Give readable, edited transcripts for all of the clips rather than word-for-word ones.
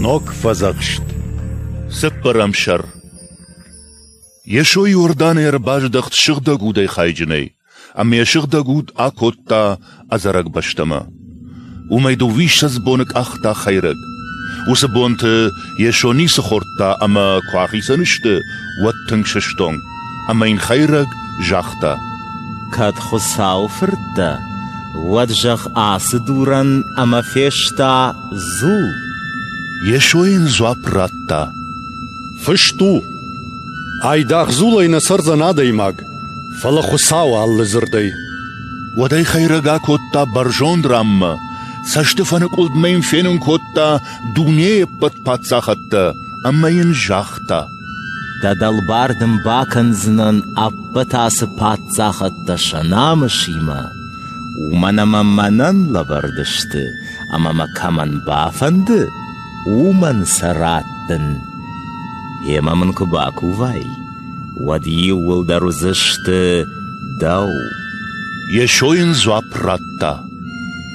Ног Фӕдзӕхст. Цыппӕрӕм сӕр. Йесо Иорданӕй ӕрбаздӕхт сыгъдӕг удӕй хайджынӕй, ӕмӕ йӕ сыгъдӕг уд акодта ӕдзӕрӕг бӕстӕмӕ. Уымӕй дыууиссӕдз боны къахта хӕйрӕг. Уыцы бонты Йесо ницы хордта ӕмӕ куы ахицӕн сты, уӕд тынг сыстонг, ӕмӕ йын хӕйрӕг загъта: Кӕд Хуыцауы фырт дӕ, уӕд зӕгъ ацы дурӕн ӕмӕ феста дзул. Йесо йын дзуапп радта: Фыст у, айдагъ дзулӕй нӕ цӕрдзӕн адӕймаг, фӕлӕ Хуыцауы алы дзырдӕй. Уӕд ӕй хӕйрӕг акодта бӕрзонд ранмӕ, цӕстыфӕныкъуылдмӕ йын фенын кодта дунейы ӕппӕт паддзахӕдтӕ ӕмӕ йын загъта: Дӕ дӕлбар дын бакӕндзынӕн ӕппӕт ацы паддзахӕдтӕ сӕ намысимӕ, уымӕн ӕмӕ мӕнӕн лӕвӕрд сты, ӕмӕ мӕ кӕмӕн бафӕнды, уымӕн сӕ раттын. Гъемӕ мын куы бакувай, уӕд иууылдӕр уыдзысты дӕу. Йесо йын дзуапп радта: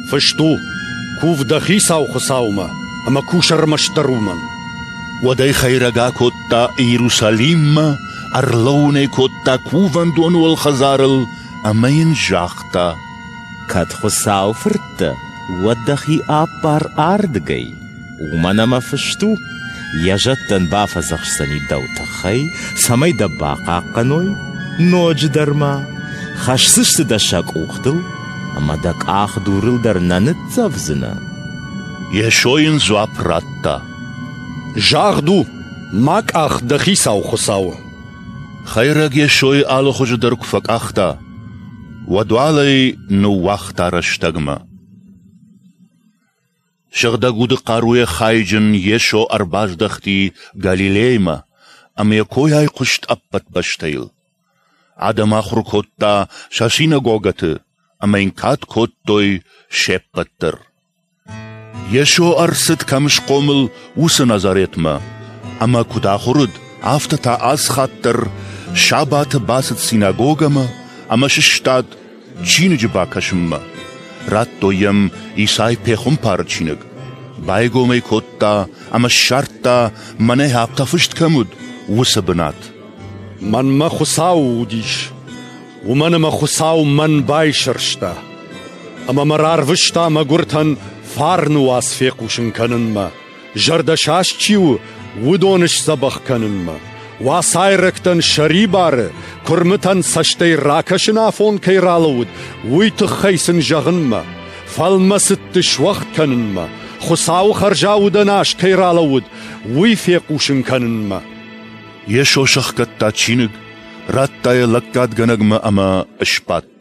Фыст у, кув дӕ Хицау Хуыцаумӕ ӕмӕ кус ӕрмӕстдӕр уымӕн. Уӕд ӕй хӕйрӕг акодта Иерусалиммӕ, ӕрлӕууын ӕй кодта кувӕндоны уӕлхӕдзарыл ӕмӕ йын загъта: Кӕд Хуыцауы фырт дӕ, уӕд дӕхи аппар ардыгӕй, уымӕн ӕмӕ фыст у, йӕ зӕдтӕн бафӕдзӕхсдзӕни дӕу тыххӕй, цӕмӕй дӕ бахъахъхъӕной, ноджыдӕр ма хӕсдзысты дӕ сӕ къухтыл, ӕмӕ дӕ къах дурыл дӕр нӕ ныццӕвдзынӕ. Йесо йын дзуапп радта: Загъд у, ма къах дӕ Хицау Хуыцауы. Хӕйрӕг Йесойы алы хуызы дӕр куы фӕкъахта, уӕд уал ӕй ныууагъта рӕстӕгмӕ. Сыгъдӕг уды хъаруйӕ хайджын Йесо ӕрбаздӕхти Галилеймӕ, ӕмӕ йӕ кой айхъуыст ӕппӕт бӕстӕйыл. Адӕм ахуыр кодта сӕ синагогӕты ӕмӕ йын кад кодтой се ппӕт дӕр. Йесо ӕрцыд, кӕм схъомыл, уыцы Назаретмӕ, ӕмӕ куыд ахуыр уыд, афтӕ та ацы хатт дӕр сабаты бацыд синагогӕмӕ ӕмӕ сыстад чиныджы бакӕсынмӕ. Радтой йӕм Исай пехуымпары чиныг. Байгом ӕй кодта ӕмӕ ссардта, мӕнӕ афтӕ фыст кӕм уыд, уыцы бынат. Мӕнмӕ Хуыцау уыдис, уымӕн ӕмӕ Хуыцау мӕн байсӕрста ӕмӕ мӕ рарвыста мӕгуыртӕн фарны уац фехъусын кӕнынмӕ, зӕрдӕсаст чи у, уыдоны сдзӕбӕх кӕнынмӕ, уацайрӕгтӕн сӕрибары, куырмытӕн цӕстӕй ракӕсын афон кӕй ралӕууыд, уый тыххӕй сын зӕгъынмӕ, фӕлмӕцыдты суӕгъд кӕнынмӕ, Хуыцауы хӕрзаудӕн аз кӕй ралӕууыд, уый фехъусын кӕнынмӕ. Йесо сӕхгӕдта чиныг, радта йӕ лӕггадгӕнӕгмӕ ӕмӕ сбадт.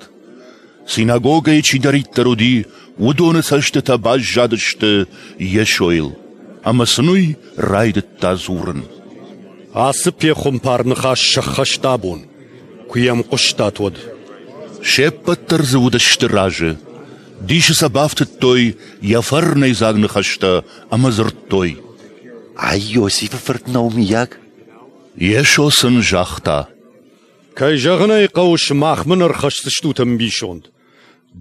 Синагогӕйы чидӕриддӕр уыди, уыдоны цӕстытӕ баззадысты Йесойыл, ӕмӕ сын уый райдыдта дзурын. Ацы пехуымпар ныхас сӕххӕст абон, куы йӕм хъуыстат, уӕд. Се ппӕт дӕр дзы уыдысты разы. Дисы сӕ бафтыдтой йӕ фӕрнӕйдзаг ныхӕстӕ ӕмӕ дзырдтой: Ай Иосифы фырт нӕу, мыййаг? Йесо сын загъта: Кӕй зӕгъын ӕй хъӕуы, сымах мын ӕрхӕсдзыстут ӕмбисонд.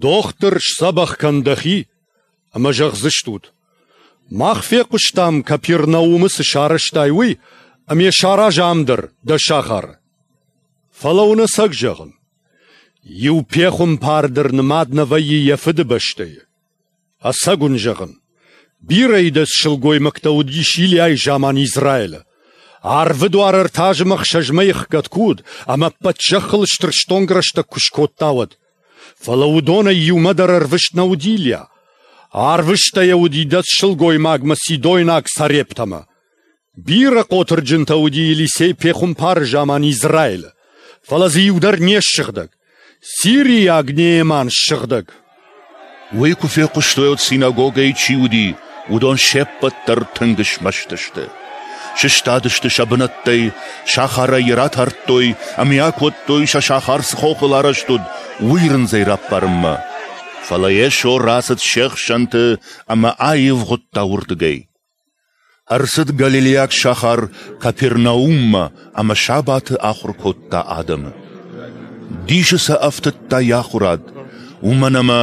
Дохтыр, сдзӕбӕх кӕн дӕхи, ӕмӕ зӕгъдзыстут: Мах фехъуыстам, Капернаумы цы сарӕзтай, уый, ӕмӕ йӕ сараз ам дӕр, дӕ сахары. Фӕлӕ уын ӕцӕг зӕгъын, иу пехуымпар дӕр нымад нӕ вӕййы йӕ фыдыбӕстӕйы. Ӕцӕг уын зӕгъын, бирӕ идӕдз сылгоймӕгтӕ уыдис Илиайы заман Израилы. Арвы дуар ӕртӕ азы ӕхсӕз мӕйы ӕхгӕд куы уыд ӕмӕ ӕппӕт зӕххыл стыр стонг рӕстӕг куы скодта, уӕд. Фӕлӕ уыдонӕй иумӕ дӕр ӕрвыст нӕ уыд Илиа. Арвыста йӕ уыд идӕдз сылгоймагмӕ Сидойнаг Сарептӕмӕ. Бирӕ хъотырджынтӕ уыди Елисей пехуымпары заман Израилы, фӕлӕ дзы иу дӕр не ссыгъдӕг. Сириаг Нееман ссыгъдӕг. Уый куы фехъуыстой, уӕд синагогӕйы чи уыди, уыдон се ппӕт дӕр тынг смӕсты сты. Сыстадысты сӕ бынӕттӕй, сахарӕй йӕ ратардтой ӕмӕ йӕ акодтой, сӕ сахар цы хохыл арӕзт уыд, уый рындзӕй раппарынмӕ. Фӕлӕ Йесо рацыд се хсӕнты ӕмӕ аивгъуыдта уырдыгӕй. Ӕрцыд галилейаг сахар Капернауммӕ ӕмӕ сабаты ахуыр кодта адӕмы. Дисы сӕ ӕфтыдта йӕ ахуырад, уымӕн ӕмӕ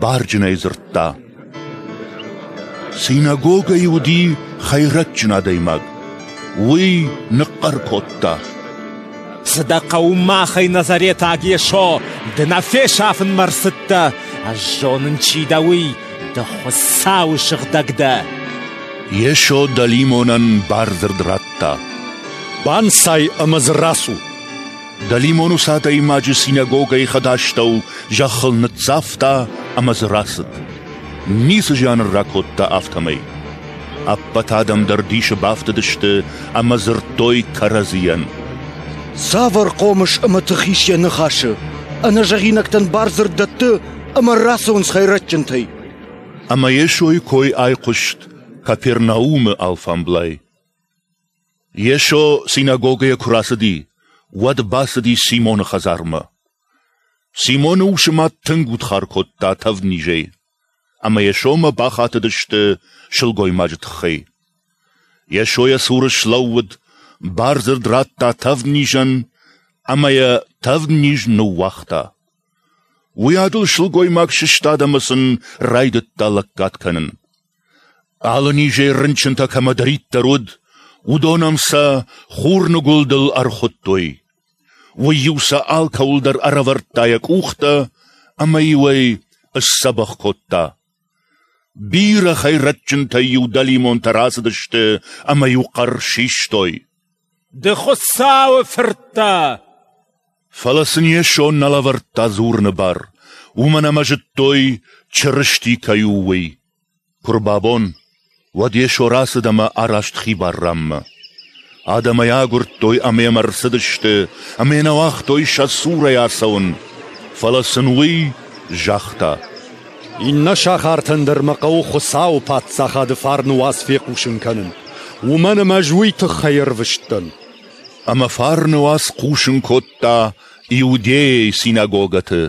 барджынӕй дзырдта. Синагогӕйы уыди хӕйрӕджджын адӕймаг. Уый ныхъхъӕр кодта: Цы дӕ хъӕуы махӕй, Назаретаг Йесо? Ды нӕ фесафынмӕ рцыдтӕ! Ӕз зонын, чи дӕ, уый, ды Хуыцауы сыгъдӕг дӕ! Йесо дӕлимонӕн бардзырд радта: Банцай ӕмӕ дзы рацу! Дӕлимон уыцы адӕймаджы синагогӕйы хӕдастӕу зӕххыл ныццавта ӕмӕ дзы рацыд. Ницы зиан ын ракодта афтӕмӕй. Ӕппӕт адӕм дӕр дисы бафтыдысты ӕмӕ дзырдтой кӕрӕдзийӕн: Цавӕр хъомыс ӕмӕ тых ис йӕ ныхасы? Ӕнӕзӕгъинӕгтӕн бардзырд дӕтты ӕмӕ рацӕуынц хӕйрӕджджынтӕй. Ӕмӕ Йесойы кой айхъуыст Капернаумы алфамблай. Йесо синагогӕйӕ куы рацыди, уӕд бацыди Симоны хӕдзармӕ. Симоны усы мад тынг удхар кодта тӕвднизӕй, ӕмӕ Йесомӕ бахатыдысты сылгоймаджы тыххӕй. Йесо йӕ цуры слӕууыд, бардзырд радта тӕвднизӕн, ӕмӕ йӕ тӕвдниз ныууагъта. Уыйадыл сылгоймаг сыстад ӕмӕ сын райдыдта лӕггад кӕнын. Алы низӕй рынчынтӕ кӕмӕдӕриддӕр уыд, уыдон ӕм сӕ хурныгуылдыл ӕрхуыдтой. Уый-иу сӕ алкӕуыл дӕр ӕрӕвӕрдта йӕ къухтӕ ӕмӕ-иу ӕй сдзӕбӕх кодта. Бирӕ хӕйрӕджджынтӕй-иу дӕлимонтӕ рацыдысты ӕмӕ-иу хъӕр систой: Ды Хуыцауы фырт дӕ! Фӕлӕ сын Йесо нӕ лӕвӕрдта дзурыны бар, уымӕн ӕмӕ зыдтой, Чырысти кӕй у, уый. Куы рбабон, уӕд Йесо рацыд ӕмӕ араст хибар ранмӕ. Адӕм ӕй агуырдтой ӕмӕ йӕм ӕрцыдысты, ӕмӕ йӕ нӕ уагътой сӕ цурӕй ацӕуын. Фӕлӕ сын уый загъта: Иннӕ сахартӕн дӕр мӕ хъӕуы Хуыцауы Паддзахады фарны уац фехъусын кӕнын, уымӕн ӕмӕ ӕз уый тыххӕй ӕрвыст дӕн. Ӕмӕ фарны уац хъусын кодта Иудейӕйы синагогӕты.